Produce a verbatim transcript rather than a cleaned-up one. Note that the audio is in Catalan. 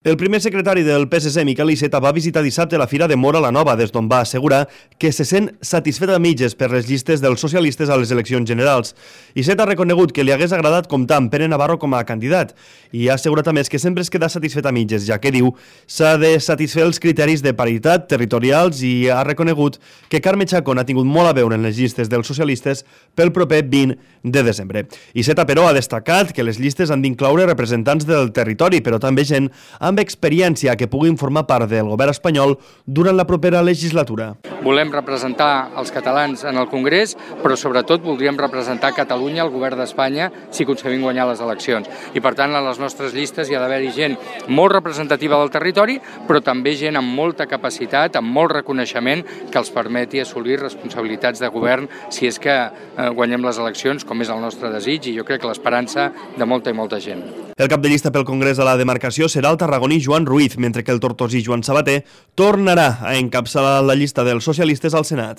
El primer secretari del P S C, Miquel Iceta, va visitar dissabte la Fira de Móra la Nova, des d'on va assegurar que se sent satisfet a mitges per les llistes dels socialistes a les eleccions generals. Iceta ha reconegut que li hagués agradat comptar amb Pere Navarro com a candidat i ha assegurat a més que sempre es queda satisfet a mitges, ja que diu s'ha de satisfer els criteris de paritat territorials i ha reconegut que Carme Chacón ha tingut molt a veure en les llistes dels socialistes pel proper vint de desembre. Iceta, però, ha destacat que les llistes han d'incloure representants del territori, però també gent amb experiència que puguin formar part del govern espanyol durant la propera legislatura. Volem representar els catalans en el Congrés, però sobretot voldríem representar Catalunya, el govern d'Espanya, si aconseguim guanyar les eleccions. I per tant, a les nostres llistes hi ha d'haver-hi gent molt representativa del territori, però també gent amb molta capacitat, amb molt reconeixement, que els permeti assolir responsabilitats de govern si és que eh, guanyem les eleccions, com és el nostre desig i jo crec que l'esperança de molta i molta gent. El cap de llista pel Congrés de la demarcació serà el tarragoní Joan Ruiz, mentre que el tortosí Joan Sabater tornarà a encapçalar la llista dels socialistes al Senat.